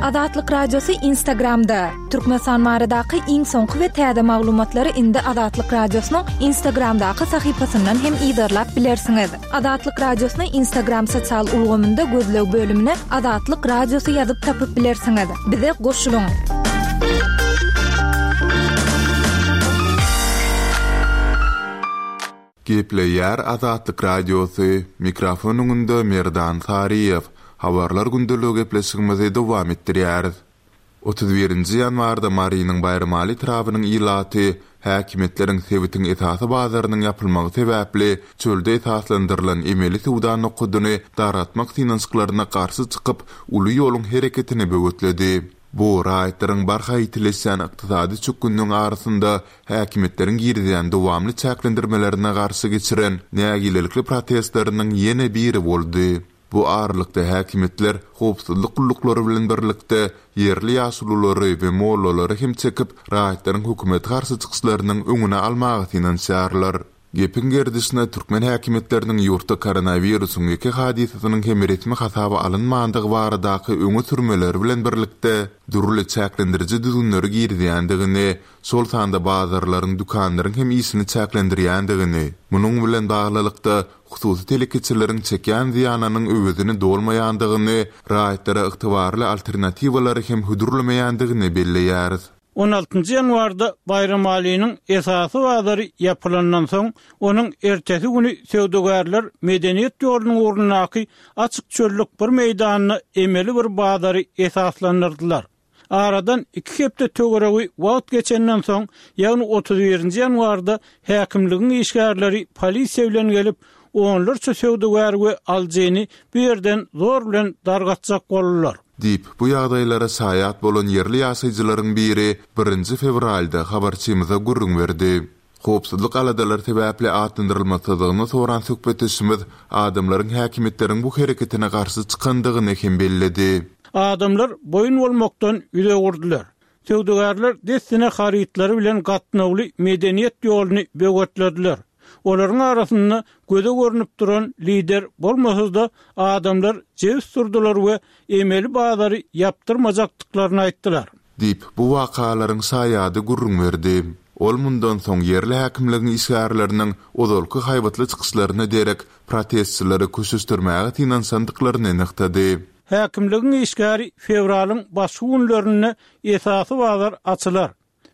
Azatlyk Radiosy Instagramda! Türkmenistan baradaky iň soňky we täze maglumatlary indi Azatlyk Radiosynyň Instagramdaky sahypasyndan hem yzarlap bilersiňiz. Azatlyk Radiosyny Instagram sosial ulgamynda gözleg bölümine Azatlyk Radiosy ýazyp tapyp bilersiňiz. Bize goşulyň! Gepleýär Azatlyk Radiosy, mikrofon öňünde Merdan Saryýew. Habarlar gündeligi gepleşigimizi dowam etdirýäris. 31-nji ýanwarda Marynyň Baýramaly etrabynyň ilaty häkimiýetleriň sebitiň esasy bazarynyň ýapylmagy sebäpli çölde esaslandyrylan emeli söwda nokadyny dargatmak synanyşyklaryna garşy çykyp, uly ýoluň hereketini böwetledi. Bu, raýatlaryň barha ýitileşýän ykdysady çökgünligiň arasynda häkimiýetleriň girizýän dowamly çäklendirmelerine garşy geçiren nägilelikli protestleriniň ýene biri boldy. Bu aralykda häkimiýetler howpsuzlyk gulluklary bilen birlikde ýerli ýaşululary we mollalary hem çekip, raýatlaryň hökümete garşy çykyşlarynyň öňüni almaga synanyşýarlar. Gepiň gerdişine türkmen häkimiýetleriniň ýurtda koronawirusyň ýeke hadysasynyň hem resmi hasaba alynmandygy baradaky öňe sürmeleri bilen birlikde, dürli çäklendiriji düzgünleri girizýändigini, şol sanda bazarlaryň, dükanlaryň hem işini çäklendirýändigini, munuň bilen baglylykda, hususy telekeçileriň çekýän zyýanynyň öwezini dolmaýandygyny, raýatlara ygtybarly alternatiwalary hem hödürlemeýändigini belleýäris. On altynjy ýanwarda Baýramalynyň esasy bazary ýapylandan soň, onuň ertesi güni söwdagärler Medeniýet ýolunyň ugrundaky açyk çöllük bir meýdanda emeli bir bazary esaslandyrdylar. Aradan iki hepde töweregi wagt geçenden soň, ýagny 31-nji ýanwarda häkimligiň işgärleri polisiýa bilen gelip, onlarça söwdagär we alyjyny bu ýerden zor bilen dargatjak boldular. Diýip, bu ýagdaýlara şaýat bolan ýerli ýaşaýjylaryň biri birinji fewralda habarçymyza gürrüň berdi. Howpsuzlyk aladalary sebäpli atlandyrylmasyzlygyny soran söhbetdeşimiz adamlaryň häkimiýetleriň bu hereketine garşy çykandygyny hem belledi. Adamlar boýun bolmakdan ýüz öwürdiler. Söwdagärler dessine harytlary bilen gatnawly Medeniýet ýoluny böwetlediler. Olaryň arasynda göze görnüp duran lider bolmasa-da, adamlar jebis durdular we emeli bazary ýapdyrmajakdyklaryny aýtdylar. Diýip, bu wakalaryň şaýady gürrüň berdi. Ol mundan soň ýerli häkimligiň işgärleriniň ozalky haýbatly çykyşlaryna derek protestçileri köşeşdirmäge synanyşandyklaryny nygtady. Häkimligiň işgäri fewralyň başky günlerinde esasy bazar açylar.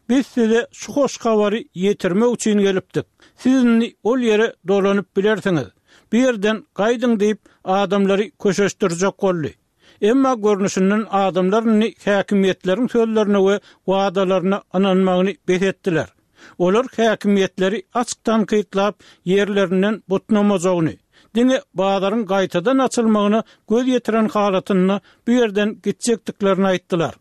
Biz size şu hoş habary ýetirmek üçin gelipdik. Siz indi ol ýere dolanyp bilersiňiz. Bu ýerden gaýdyň diýip, adamlary köşeşdirjek boldy. Emma görnüşinden adamlar indi häkimiýetleriň sözlerine we wadalaryna ynanmagyny bes etdiler. Olar häkimiýetleri açyk tankytlap, ýerlerinden butnamajagyny, diňe bazaryň gaýtadan açylmagyna göz ýetiren halatynda bu ýerden gitjekdiklerini aýtdylar.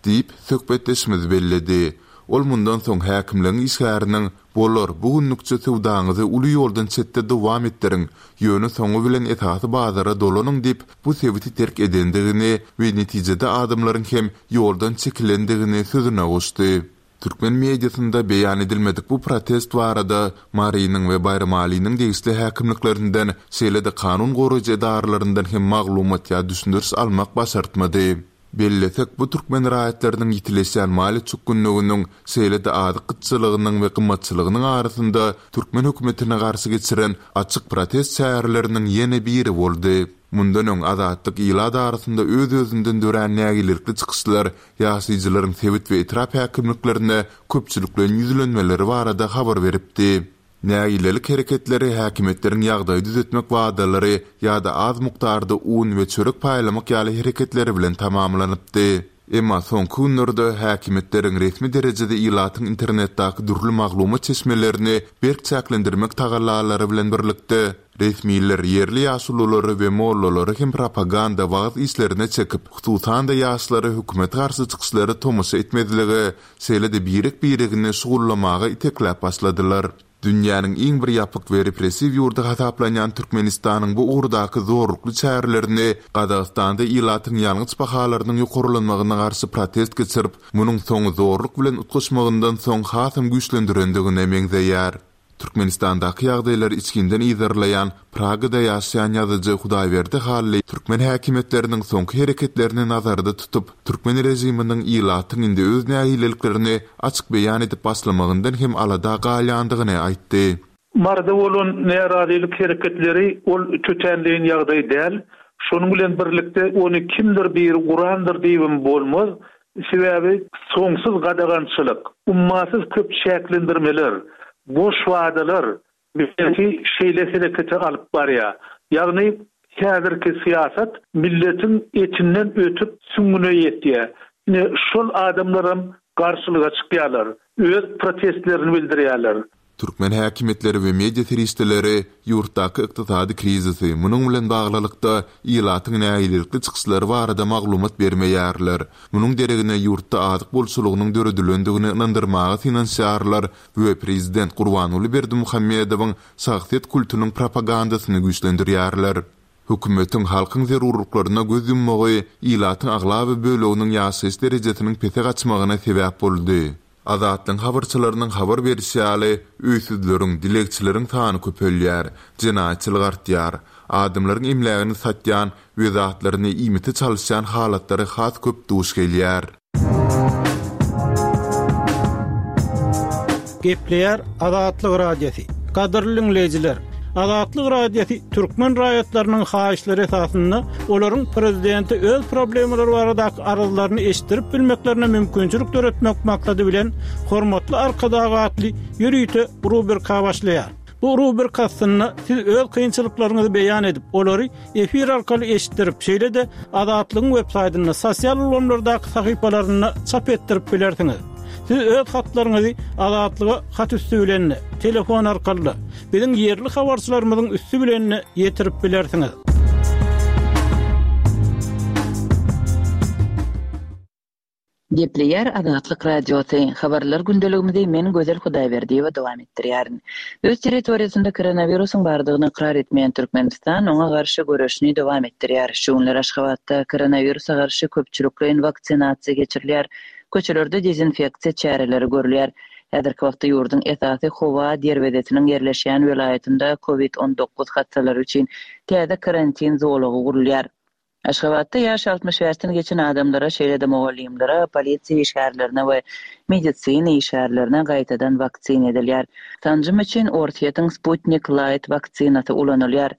Diýip, söhbetdeşimiz belledi. Ol mundan soň häkimligiň işgäriniň, Bolar, bu günlükçe söwdaňyzy uly ýoldan çetde dowam etdiriň, ýöne soňy bilen esasy bazara dolanyň diýip, bu sebiti terk edendigini we netijede adamlaryň hem ýoldan çekilendigini sözüne goşdy. Türkmen mediasynda beýan edilmedik bu protest barada Marynyň we Baýramalynyň degişli häkimliklerinden, şeýle-de kanun goraýjy edaralaryndan hem maglumat ýa düşündiriş almak başartmady. Bellesek, bu türkmen raýatlarynyň ýitileşýän maliýe çökgünliginiň, şeýle-de azyk gytçylygynyň we gymmatçylygynyň arasynda türkmen hökümetine garşy geçiren açyk protest çäreleriniň ýene biri boldy. Mundan öň Azatlyk ilat arasynda öz-özünden dörän nägilelikli çykyşlar, ýaşaýjylaryň sebit we etrap häkimliklerine köpçülikleýin ýüzlenmeleri barada habar beripdi. Nägilelik hereketleri häkimiýetleriň ýagdaýy düzetmek wadalary ýa-da az mukdarda un we çörek paýlamak ýaly hereketleri bilen tamamlanypdy. Emma soňky günlerde häkimiýetleriň resmi derejede ilatyň internetdäki dürli maglumat çeşmelerini berk çäklendirmek tagallalary bilen birlikde, resmiler ýerli ýaşululary we mollalary hem propaganda wagyz işlerine çekip, hususan-da ýaşlary hökümete garşy çykyşlara tomaşa etmezlige şeýle-de birek-biregini şugullamaga itekläp başladylar. Dünýäniň iň bir ýapyk we repressiw ýurdy hasaplanýan Türkmenistanyň bu ugurdaky zorlukly çärelerini Gazagystanda ilatyň ýangyç bahalarynyň ýokarlanmagyna garşy protest geçirip, munuň soňy zorluk bilen utgaşmagyndan soň hasam güýçlendirendigine meňzeýär. Türkmenistandaky ýagdaýlary içginden yzarlaýan Pragada ýaşaýan ýazyjy Hudaýberdi Hally türkmen häkimiýetleriniň soňky hereketlerini nazarda tutup, türkmen režiminiň ilatyň indi öz nägileliklerini açyk beýan edip başlamagyndan hem alada galýandygyny aýtdy. Maryda bolan närazylyk hereketleri ol tötänleýin ýagdaý däl. Şonuň bilen birlikde ony kimdir biri gurandyr diýibem bolmaz. Sebäbi soňsuz gadagançylyk, ummasyz köp çäklendirmeler, boş wadalar milleti şeýle herekete alyp barýar. Ýagny häzirki syýasat milletiň etinden ötüp süňňüne ýetýär. Ine şol adamlaram garşylyga çykýarlar, öz protestlerini bildirýärler. Türkmen häkimiýetleri we media serişdeleri ýurtdaky ykdysady krizisi, munuň bilen baglylykda, ilatyň nägilelikli çykyşlary barada maglumat bermeýärler. Munuň deregine ýurtda azyk bolçulygynyň döredilendigini ynandyrmaga synanyşýarlar we prezident Gurbanguly Berdimuhamedowyň şahsyýet kultunyň propagandasyny güýçlendirýärler. Hökümetiň halkyň zerurlyklaryna göz ýummagy ilatyň aglaba böleginiň ýaşaýyş derejesiniň pese gaçmagyna sebäp boldy. Azatlygyň habarçylarynyň habar berişi ýaly, öýsüzleriň, dilegçileriň sany köpelýär, jenaýatçylyk artýar. Adamlaryň emlägini satýan we zatlaryny iýmite çalyşýan halatlary has köp duş gelýär. Gepleýär Azatlyk Radiosy. Gadyrly diňleýjiler! Azatlyk Radiosy türkmen raýatlarynyň haýyşlary esasynda olaryň prezidente öz problemalary baradaky arzlaryny eşitdirip bilmeklerine mümkinçilik döretmek maksady bilen Hormatly Arkadag atly ýörite rubrika başlaýar. Bu rubrika astynda siz öz kynçylyklaryňyzy beýan edip, olary efir arkaly eşitdirip, şeýle-de Azatlygyň web-saýtynda, sosial ulgamlardaky sahypalarynda çap etdirip bilersiňiz. Siz öz hatlaryňyzy Azatlyga hat üsti bilen-de, telefon arkaly-da, biziň ýerli habarçylarymyzyň üsti bilen-de ýetirip bilersiňiz. Gepleýär Azatlyk Radiosy, Habarlar gündeligimizi men Gözel Hudaýberdiýewa dowam etdirýärin. Öz territoriýasynda koronawirusyň bardygyny ykrar etmeýän Türkmenistan oňa garşy göreşini dowam etdirýär. Şu günler Aşgabatda koronawirusa garşy köpçülikleýin waksinasiýa geçirilýär, köçelerde dezinfeksiýa çäreleri görülýär. Häzirki wagtda ýurduň esasy howa derwezesiniň ýerleşýän welaýatynda covid 19 hassalary üçin täze karantin zolagy gurulýar. Aşgabatda ýaşy 65-den geçen adamlara, şeýle-de mugallymlara, polisiýa işgärlerine we medisina işgärlerine gaýtadan waksina edilýär. Sanjym üçin Orsýetiň Sputnik Light waksinasy ulanylýar.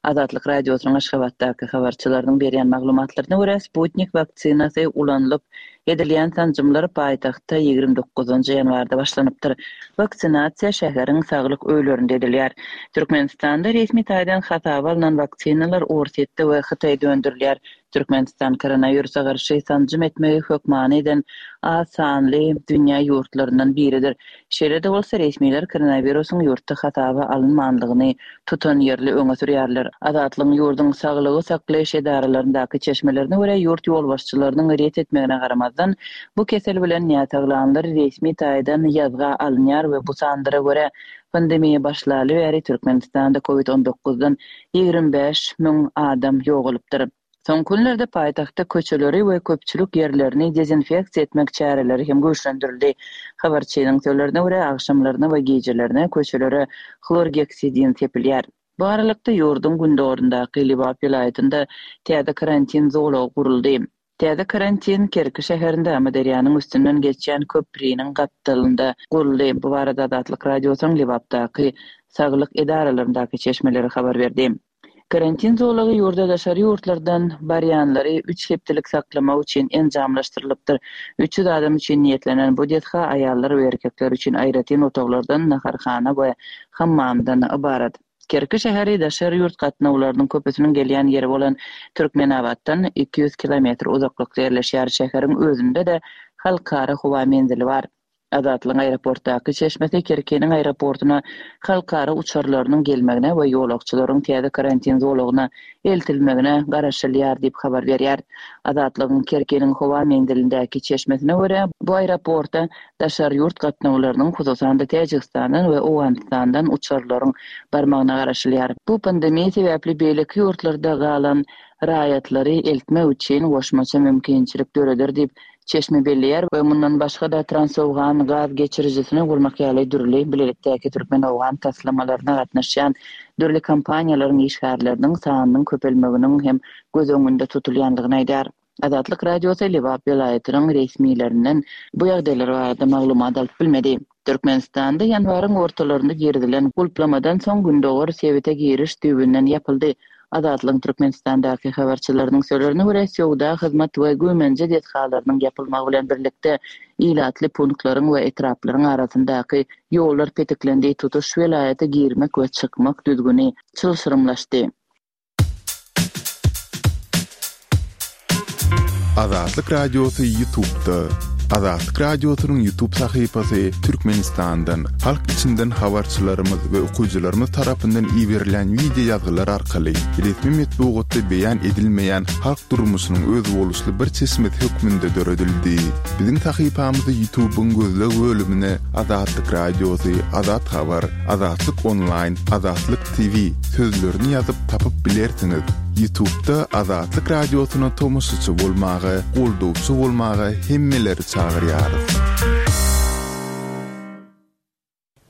Azatlyk Radiosynyň Aşgabatdaky habarçylarynyň berýän maglumatlaryna görä, Sputnik waksinasy ulanylyp, Edilýän sanjymlar paýtagtda 29 ýanwarda başlanypdyr. Waksinasiýa şäheriň saglyk öýlerinde edilýär. Türkmenistanda resmi taýdan hasaba alnan waksinalar Orsýetde we Hytaýda öndürilýär. Türkmenistan koronawirusa garşy sanjym etmegi hökmany eden az sanly dünýä ýurtlaryndan biridir. Şeýle-de bolsa, resmiler koronawirusyň ýurtda hasaba alynmandygyny tutanýerli öňe sürýärler. Azatlygyň ýurduň saglygy saklaýyş edaralaryndaky çeşmelerine görä, ýurt ýolbaşçylarynyň ret etmegine garamazdan, bu kesel bilen näsaglanlar resmi taýdan ýazga alynýar we bu sanlara görä, pandemiýa başlaly bäri Türkmenistanda covid on dokuzdan 25 000 adam ýogalypdyr. Soňky günlerde paýtagtda köçeleri we köpçülik ýerlerini dezinfeksiýa etmek çäreleri hem güýçlendirildi. Habarçynyň sözlerine görä, agşamlaryna we gijelerine köçelere hlorgeksidin sepilýär. Bu aralykda, ýurduň gündogaryndaky Lebap welaýatynda täze karantin zolagy guruldy. Täze karantin Kerki şäherinde Amyderýanyň üstünden geçýän köpriniň gapdalynda guruldy. Bu barada Azatlyk Radiosynyň Lebapdaky saglyk edaralaryndaky çeşmeleri habar berdi. Karantin zolagy ýurda daşary ýurtlardan barýanlary üç hepdelik saklamak üçin enjamlaşdyrylypdyr. 300 adam üçin niýetlenen bu desga aýallar we erkekler üçin aýratyn otaglardan, naharhana we hammamdan ybarat. Kerki şäheri daşary ýurt gatnawlarynyň köpüsiniň gelýän ýeri bolan Türkmenabatdan 200 kilometr uzaklykda ýerleşýär. Şäheriň özünde-de halkara howa menzili bar. Azatlygyň aeroportdaky çeşmesi Kerkiniň aeroportuna halkara uçarlarynyň gelmegine we ýolagçylaryň täze karantin zolagyna eltilmegine garaşylýar diýip habar berýär. Azatlygyň Kerkiniň howa menzilindäki çeşmesine görä, bu aeroporta daşary ýurt gatnawlarynyň, hususan-da Täjigistandan we Owganystandan uçarlaryň barmagyna garaşylýar. Bu pandemiýa sebäpli beýleki ýurtlarda galan raýatlary eltmek üçin goşmaça mümkinçilik döreder diýip, Çeşme belleýär we mundan başga-da Transowgan gaz geçirijisini gurmak ýaly dürli bilelikdäki türkmen-owgan taslamalaryna gatnaşýan dürli kompaniýalaryň işgärleriniň sanynyň köpelmeginiň hem göz öňünde tutulýandygyny aýdýar. Azatlyk Radiosy Lebap welaýatynyň resmilerinden bu ýagdaýlar barada maglumat alyp bilmedi. Türkmenistanda ýanwaryň ortalarynda girizilen gulplamadan soň gündogar sebite giriş düýbünden ýapyldy. Azatlygyň Türkmenistandaky habarçylarynyň sözlerine görä, söwda, hyzmat we güýmenje desgalarynyň ýapylmagy bilen birlikde, ilatly punktlaryň we etraplaryň arasyndaky ýollar petiklendi, tutuş welaýata girmek we çykmak düzgüni çylşyrymlaşdy. Azatlyk Radiosy Ýutubda. Azatlyk Radiosynyň Ýutub sahypasy Türkmenistandan, halk içinden habarçylarymyz we okyjylarymyz tarapyndan iberilen wideo ýazgylar arkaly resmi metbugatda beýan edilmeýän halk durmuşynyň özboluşly bir çeşmesi hökmünde döredildi. Biziň sahypamyzy Ýutubyň gözleg bölümine Azatlyk Radiosy, Azat Habar, Azatlyk Onlaýn, Azatlyk TV sözlerini ýazyp tapyp bilersiňiz. Ýutubda Azatlyk Radiosyna tomaşaçy bolmaga, goldawçy bolmaga hemmeleri çagyrýarys.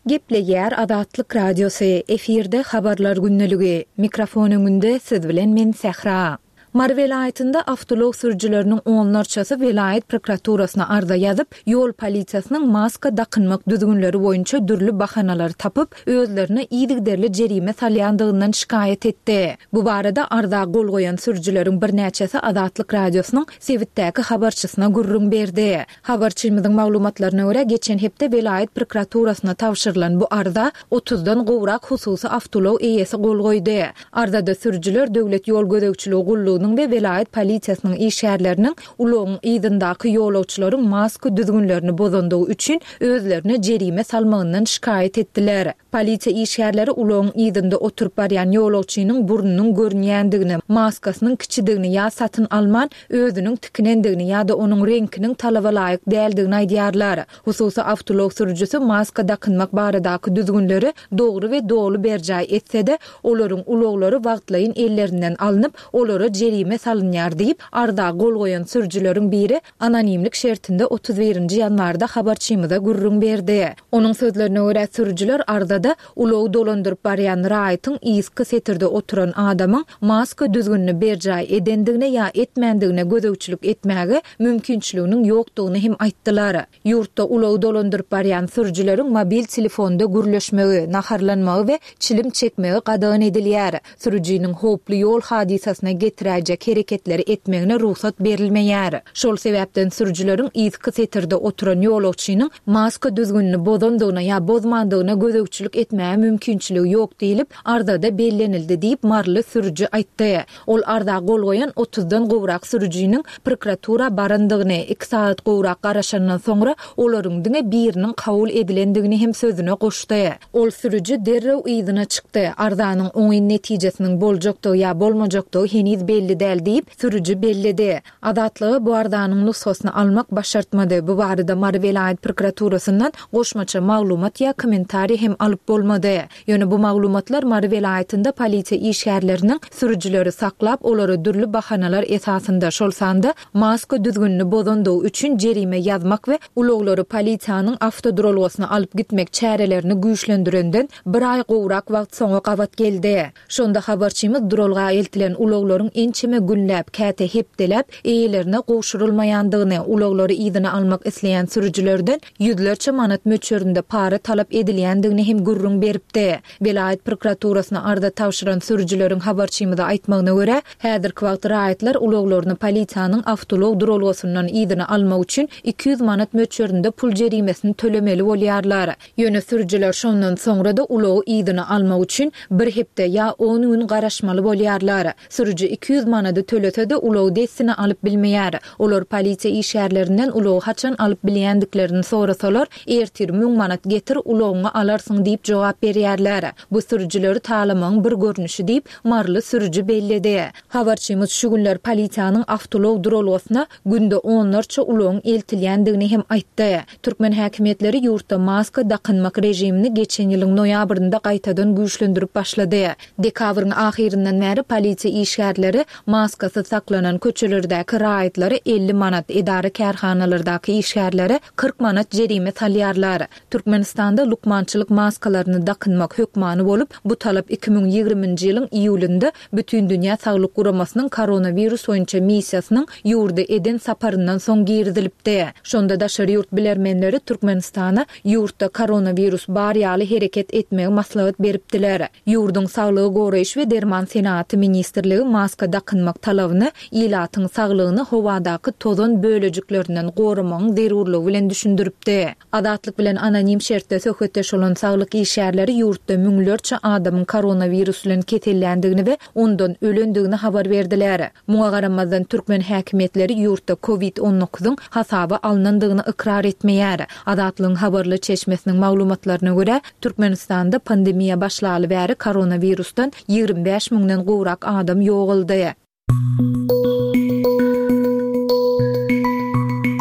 Gepleýär Azatlyk Radiosy, efirde Habarlar gündeligi. Mikrofon öňünde siz bilen men Sähra. Mary welaýatynda awtoulag sürüjileriniň onlarçasy welaýat prokuraturasyna arza ýazyp, ýol polisiýasynyň maska dakynmak düzgünleri boýunça dürli bahanalary tapyp, özlerine yzygiderli jerime salýandygyndan şikaýat etdi. Bu barada arza gol goýan sürüjileriň birnäçesi Azatlyk Radiosynyň sebitdäki habarçysyna gürrüň berdi. Habarçymyzyň maglumatlaryna görä, geçen hepde welaýat prokuraturasyna tabşyrylan bu arza otuzdan gowrak hususy awtoulag eýesi gol goýdy. Arzada sürüjiler Döwlet ýol gözegçiligi gullugynyň we welaýat polisiýasynyň işgärleriniň ulagyň yzyndaky ýolagçylaryň maska düzgünlerini bozandygy üçin özlerine jerime salmagyndan şikaýat etdiler. Polisiýa işgärleri ulagyň yzynda oturyp barýan ýolagçynyň burnunyň görünýändigini, maskasynyň kiçidigini ýa satyn alman, özüniň tikinendigini ýa-da onuň reňkiniň talaba laýyk däldigini aýdýarlar. Hususy awtoulag sürüjisi maska dakynmak baradaky düzgünleri dogry we doly berjaý etse-de, olaryň ulaglary wagtlaýyn ellerinden alnyp, olara jerime salynýar diýip, arza gol goýan sürüjileriň biri anonimlik şertinde 31 nji ýanwarda habarçymyza gürrüň berdi. Onuň sözlerine görä, sürüjiler arzada ulagy dolandyryp barýan raýatyň yzky setirde oturan adamyň maska düzgünini berjaý edendigine ýa etmändigine gözegçilik etmäge mümkinçiliginiň ýokdugyny hem aýtdylar. Ýurtda ulagy dolandyryp barýan sürüjileriň mobil telefonda gürleşmegi, naharlanmagy we çilim çekmegi gadagan edilýär. Sürüjiniň howply ýol hadysasyna getiräýjek hereketleri etmegine rugsat berilmeýär. Şol sebäpden sürüjileriň yzky setirde oturan ýolagçynyň maska düzgünini bozandygyna ýa bozmandygyna gözegçilik etmäge mümkinçiligi ýok diýlip, arzada bellenildi diýip, maryly sürüji aýtdy. Ol arza gol goýan otuzdan gowrak sürüjiniň prokuratura barandygyny, iki sagat gowrak garaşandan soňra olaryň diňe biriniň kabul edilendigini hem sözüne goşdy. Ol sürüji derrew yzyna çykdy. Arzanyň oňyn netijesiniň boljakdygy ýa bolmajakdygy heniz belli däl diýip, sürüji belledi. Azatlyga bu arzanyň nusgasyny almak başartmady. Bu barada Mary welaýat prokuraturasyndan goşmaça maglumat ýa kommentariý hem alyp bolmady. Ýöne bu maglumatlar Mary welaýatynda polisiýa işgärleriniň sürüjileri saklap, olara dürli bahanalar esasynda, şol sanda maska düzgünini bozandygy üçin jerime ýazmak we ulaglary polisiýanyň awtoduralgasyna alyp gitmek çärelerini güýçlendirenden bir aý gowrak wagt soňa gabat geldi. Şonda habarçymyz duralga eltilen ulaglaryň ençeme günläp, käte hepdeläp eýelerine gowşurylmaýandygyny, ulaglary yzyna almak isleýän sürüjilerden ýüzlerçe manat möçberinde para talap edilýändigini hem gürrüň beripdi. Welaýat prokuraturasyna arza tabşyran sürüjileriň habarçymyza aýtmagyna görä, häzirki wagt raýatlar ulaglaryny polisiýanyň awtoulag duralgasyndan yzyna almak üçin 200 manat möçberinde pul jerimesini tölemeli bolýarlar. Ýöne sürüjiler şondan soňra-da ulagy yzyna almak üçin bir hepde ýa on gün garaşmaly bolýarlar. Sürüji 200 manady tölese-de ulagy dessine alyp bilmeýär. Olar polisiýa işgärlerinden ulagy haçan alyp bilýändiklerini sorasalar, ertir müň manat getir, ulagyňy alarsyň diýip jogap berýärler. Bu sürüjileri talamagyň bir görnüşi diýip, maryly sürüji belledi. Habarçymyz şu günler polisiýanyň awtoulag duralgasyna günde onlarça ulagyň eltilýändigini hem aýtdy. Türkmen häkimiýetleri ýurtda maska dakynmak režimini geçen ýylyň noýabrynda gaýtadan güýçlendirip başlady. Dekabryň ahyryndan bäri polisiýa işgärleri. Maskasyz saklanan köçelerdäki raýatlara 50 manat, edara-kärhanalardaky işgärlere 40 manat jerime salýarlar. Türkmenistanda lukmançylyk maskalaryny dakynmak hökmany bolup, bu talap 2020-nji ýylyň iýulynda Bütindünýä Saglyk Guramasynyň koronawirus boýunça missiýasynyň ýurda eden saparyndan soň girizilipdi. Şonda daşary ýurt bilermenleri Türkmenistana ýurtda koronawirus bar ýaly hereket etmegi maslahat beripdiler. Ýurduň Saglygy goraýyş we derman senagaty ministrligi maska dakynmak talabyny ilatyň saglygyny howadaky tozan bölejiklerinden goramagyň zerurlygy bilen düşündiripdi. Azatlyk bilen anonim şertde söhbetdeş bolan saglyk işgärleri ýurtda müňlerçe adamyň koronawirus bilen keselländigini we ondan ölendigini habar berdiler. Muňa garamazdan, türkmen häkimiýetleri ýurtda covid on dokuzyň hasaba alnandygyny ykrar etmeýär. Azatlygyň habarly çeşmesiniň maglumatlaryna görä, Türkmenistanda pandemiýa başlaly bäri koronawirusdan 25 müňden gowrak adam ýogaldy.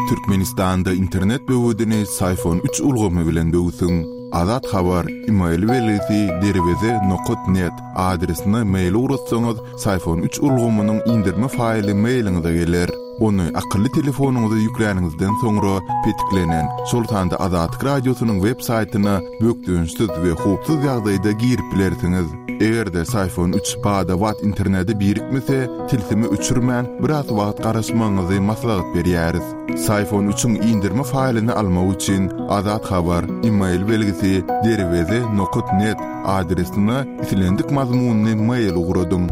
Türkmenistanda internet böwedini Syfon üç ulgamy bilen böwsüň. Azat Habar, email belgisi derweze nokat net adresine mail ugratsaňyz, Syfon üç ulgamynyň indirme faýly mailiňize geler. Ony akylly telefonyňyza ýükläniňizden soňra petiklenen, şol sanda Azatlyk Radiosynyň web saýtyna bökdençsiz we howpsuz ýagdaýda girip bilersiňiz. Eger-de Syfon üç bada-bat internete birikmese, tilsimi öçürmän, biraz wagt garaşmagyňyzy maslahat berýäris. Syfon üçiň indirme faýlyny almak üçin Azat Habar, email belgisi derweze nokat net adresine islendik mazmunly mail ugradyň.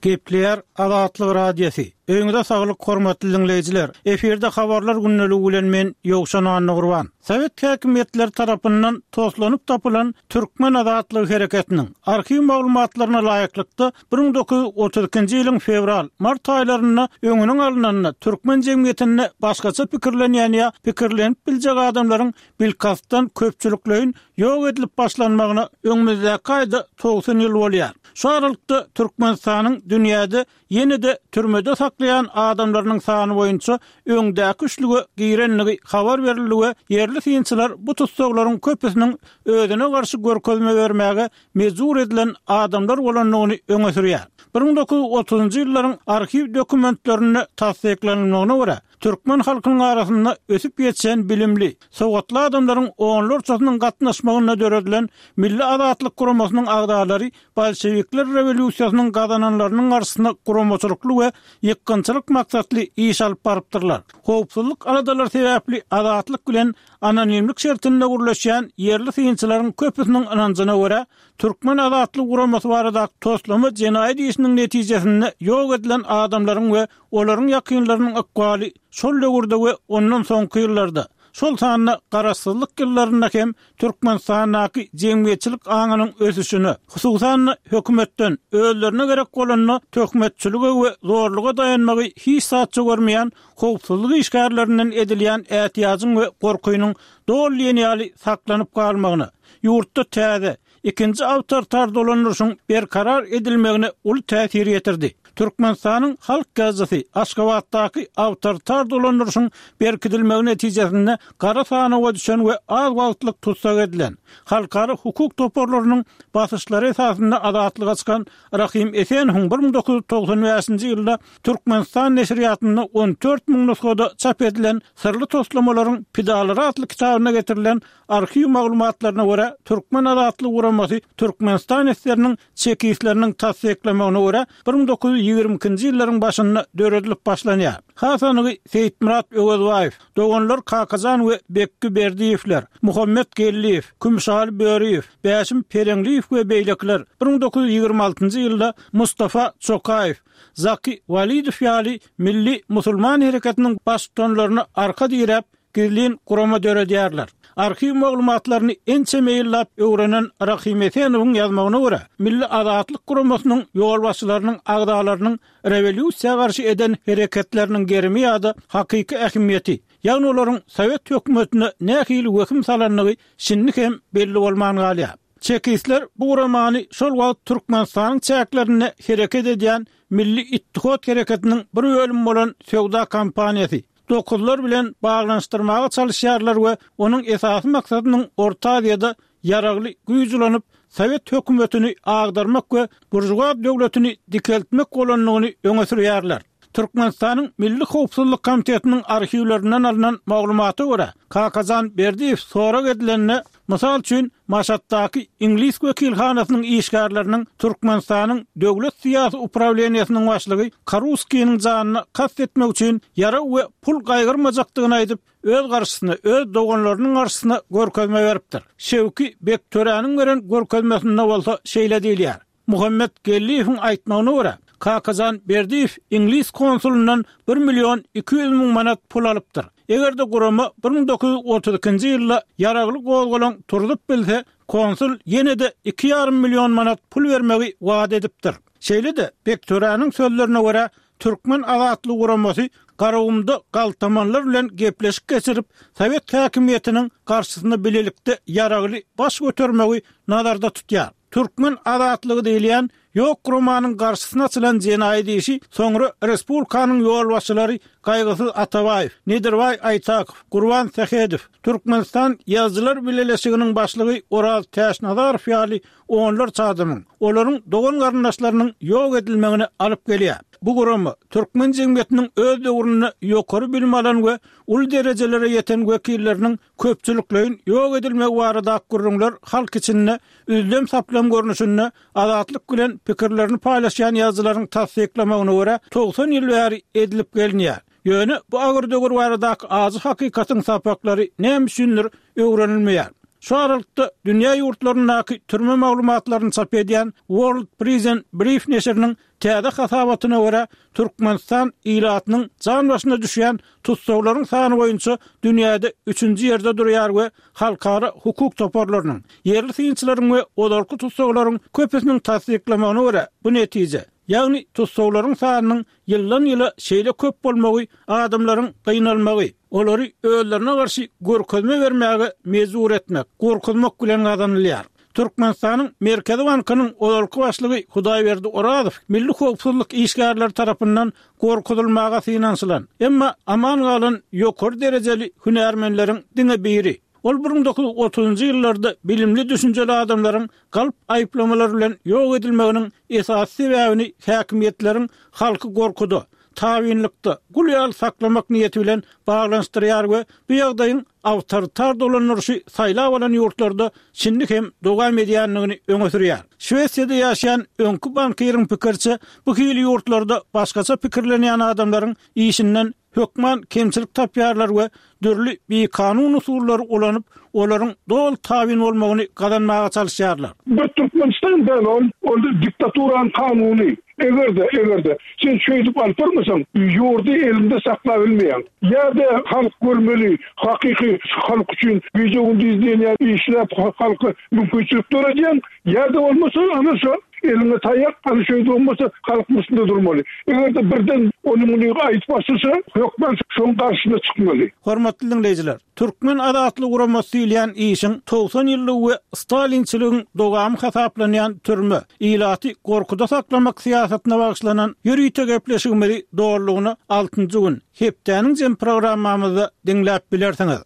Gepleýär Azatlyk Radiosy. Öýüňize saglyk hormatly diňleýjiler. Efirde habarlar gündeligi bilen men Ýowşan Annagurban. Sowet häkimiýetleri tarapyndan toslanyp tapylan Türkmen azatlygy hereketiniň arhiw maglumatlaryna laýyklykda 1932-nji ýylyň fewral, mart aýlarynda öňüniň alnanda türkmen jemgyýetinde başgaça pikirlenýän ýa pikirlenip biljek adamlaryň bilkastdan köpçülikleýin ýok edilip başlanmagyna öňümizdäki aýda 90 ýyl bolýar. Şu aralykda Türkmenistanyň dünýäde ýene-de türmede saklaýan adamlarynyň sany boýunça öňdäki üçlüge girendigi habar berildi we ýerli synçylar bu tussaglaryň köpüsiniň özüne garşy görkezme bermäge mejbur edilen adamlar bolandygyny öňe sürýär. 1930-njy ýyllaryň arhiw dokumentlerinde tassyklanylmagyna görä, türkmen halkynyň arasynda ösüp ýetişen bilimli, sowatly adamlaryň onlarçasynyň gatnaşmagynda döredilen Milli azatlyk guramasynyň agzalary bolşewikler rewolýusiýasynyň gazananlarynyň garşysyna guramaçylykly we ýykgynçylyk maksatly iş alyp barypdyrlar. Howpsuzlyk aladalary sebäpli azatlyk bilen anonimlik şertinde gürleşýän ýerli synçylaryň köpüsiniň ynanjyna görä, Türkmen azatlygy guramasy baradaky toslama jenaýat işiniň netijesinde ýok edilen adamlaryň we olaryň ýakynlarynyň ykbaly şol döwürde we ondan soňky ýyllarda, şol sanda garaşsyzlyk ýyllarynda hem Türkmenistandaky jemgyýetçilik aňynyň ösüşine, hususan-da, hökümetden özlerine gerek bolanda töhmetçilige we zorluga daýanmagy hiç zatça görmeýän howpsuzlyk işgärlerinden edilýän ätiýajyň we gorkynyň doly diýen ýaly saklanyp galmagyna, ýurtda täze, ikinji awtoritar dolandyryşyň berkarar edilmegine uly täsir ýetirdi. Türkmenistanyň halk ýazyjysy Aşgabatdaky awtoritar dolandyryşyň berkidilmegi netijesinde gara sanawa düşen we az wagtlyk tussag edilen, halkara hukuk toparlarynyň basyşlary esasynda azatlyga çykan Rahym Esenowyň 1995-nji ýylda Türkmenistan neşirýatynda 14 müň nusgada çap edilen Syrly toslamalaryň pidalary atly kitabynda getirilen arhiw maglumatlaryna görä, Türkmen azatlygy guramasy Türkmenistan esgeriniň çekistleriniň tassyklamagyna görä, 1922-nji ýyllaryň başynda döredilip başlanýar. Has anygy Seýitmyrat Öwezbaýew, doganlar Kakajan we Bekgi Berdiýewler, Muhammet Geldiýew, Kümüşaly Böriýew, Bäşim Pereňliýew we beýlekiler 1926-njy ýylda Mustafa Çokaýew, Zaki Walidow ýaly milli musulman hereketiniň baştutanlaryna arka diräp, gizlin gurama döredýärler. Arhiw maglumatlaryny ençeme ýyllap öwrenen Rahym Esenowyň ýazmagyna görä, Milli azatlyk guramasynyň ýolbaşçylarynyň agzalarynyň rewolýusiýa garşy eden hereketleriniň gerimi ýa-da hakyky ähmiýeti, ýagny olaryň sowet hökümetine nähili wehim salandygy şindi hem belli bolman galýar. Çekistler bu guramany şol wagt Türkmenistanyň çäklerinde hereket edýän Milli Ittihot hereketiniň bir bölümi bolan söwda kompaniýasy, Dokuzlar bilen baglanyşdyrmaga çalyşýarlar we onuň esasy maksadynyň Orta Aziýada ýaragly güýç ulanyp, sowet hökümetini agdarmak we buržuaz döwletini dikeltmek bolandygyny öňe sürýärler. Türkmenistanyň Milli howpsuzlyk komitetiniň arhiwlerinden alnan maglumata görä, Kakajan Berdiýew sorag edilende, mysal üçin, Maşatdaky iňlis wekilhanasynyň işgärleriniň Türkmenistanyň Döwlet syýasy uprawleniýesiniň başlygy Karuskiniň janyna kast etmek üçin ýarag we pul gaýgyrmajakdygyny aýdyp, öz garşysyna, öz doganlarynyň garşysyna görkezme beripdir. Şewki Bektöräniň beren görkezmesinde bolsa şeýle diýilýär. Muhammet Geldiýewiň aýtmagyna görä, Kakajan Berdiýew iňlis konsulyndan bir million 200 müň manat pul alypdyr. Eger-de gurama 1932-nji ýylda ýaragly gozgalaň turzup bilse, konsul ýene-de iki ýarym million manat pul bermegi wada edipdir. Şeýle-de, Bektöräniň sözlerine görä, Türkmen azatlygy guramasy Garagumda galtamanlar bilen gepleşik geçirip, sowet häkimiýetiniň garşysyna bilelikde ýaragly baş götermegi nazarda tutýar. Türkmen azatlygy diýilýän ýok guramanyň garşysyna açylan jenaýat işi soňra respublikanyň ýolbaşçylary Gaýgysyz Atabaýew, Nedirbaý Aýtakow, Gurban Sähedow, Türkmenistan Ýazyjylar bileleşiginiň başlygy Oraz Täçnazarow ýaly onlarça adamyň, olaryň dogan-garyndaşlarynyň ýok edilmegine alyp gelýär. Bu gurama türkmen jemgyýetiniň öz döwründe ýokary bilim alan we uly derejelere ýeten wekilleriniň köpçülikleýin ýok edilmegi baradaky gürrüňler halk içinde üzlem-saplam görnüşinde Azatlyk bilen pikirlerini paýlaşýan ýazyjylaryň tassyklamagyna görä, 90 ýyl bäri edilip gelinýär. Ýöne bu agyr döwür baradaky ajy hakykatyň sapaklary näme üçindir öwrenilmeýär. Şu aralykda dünýä ýurtlaryndaky türme maglumatlaryny çap edýän World Prison Brief neşiriniň täze hasabatyna görä, Türkmenistan ilatynyň jan başyna düşýän tussaglaryň sany boýunça dünýäde üçünji ýerde durýar we halkara hukuk toparlarynyň, ýerli synçylaryň we ozalky tussaglaryň köpüsiniň tassyklamagyna görä, bu netije, ýagny tussaglaryň sanynyň ýyldan-ýyla şeýle köp bolmagy adamlaryň gynalmagy, olary özlerine garşy görkezme bermäge mejbur etmek, gorkuzmak bilen gazanylýar. Türkmenistanyň Merkezi bankynyň ozalky başlygy Hudaýberdi Orazow milli howpsuzlyk işgärleri tarapyndan gorkuzylmaga synanyşylan, emma aman galan ýokary derejeli hünärmenleriň diňe biri. Ol 1930-njy ýyllarda bilimli-düşünjeli adamlaryň galp aýyplamalar bilen ýok edilmeginiň esasy sebäbini häkimiýetleriň halky gorkuda, tabynlykda, gul ýaly saklamak niýeti bilen baglanyşdyrýar we bu ýagdaýyň awtoritar dolandyryşy saýlap alan ýurtlarda şindi hem dowam edýändigini öňe sürýär. Şwesiýada ýaşaýan öňki bankiriň pikiriçe, bu hili ýurtlarda başgaça pikirlenýän adamlaryň işinden hökman kemçilik tapýarlar we dürli bikanun usullary ulanyp, olaryň doly tabyn bolmagyny gazanmaga çalyşýarlar. Bir Türkmenistan däl ol, ol diktaturanyň kanuny. Eger-de, eger-de, sen şeýdip alyp barmasaň, ýurdy eliňde saklabilmeýäň. Ýa-da halk görmeli, hakyky halk üçin gije-gündiz diýen ýaly işläp halka mümkinçilik döredýäň, ýa-da bolmasa ana şo eliňe taýak, ana şeýdip bolmasa halkyň üstünde durmaly. Eger-de birden ony-muny aýdyp başlasa, hökman şoň garşysyna çykmaly. Hormatly diňleýjiler! Türkmen azatlygy guramasy diýilýän işiň 90 ýyllygy we stalinçiligiň dowamy hasaplanýan türme, ilaty gorkuda saklamak syýasatyna bagyşlanan ýörite gepleşigimizi dolulygyna altynjy gün, hepdäniň jem programmamyzda diňläp bilersiňiz.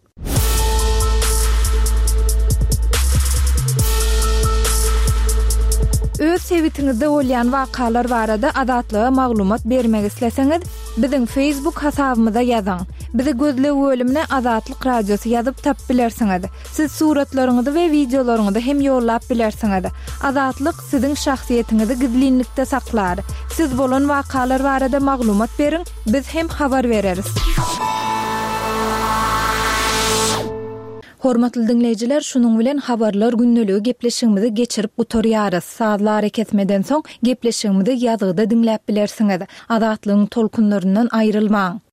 Öz sebitiňizde bolýan wakalar barada Azatlyga maglumat bermek isleseňiz, biziň Facebook hasabymyza ýazyň. Bizi gözleg bölümine Azatlyk Radiosy ýazyp tapyp bilersiňiz. Siz suratlaryňyzy we wideolaryňyzy hem ýollap bilersiňiz. Azatlyk siziň şahsyýetiňizi gizlinlikde saklar. Siz bolan wakalar barada maglumat beriň, biz hem habar bereris. Hormatly diňleýjiler, şunuň bilen Habarlar gündeligi gepleşigimizi geçirip gutarýarys. Sazly arakesmeden soň gepleşigimizi ýazgyda diňläp bilersiňiz. Azatlygyň tolkunlaryndan aýrylmaň!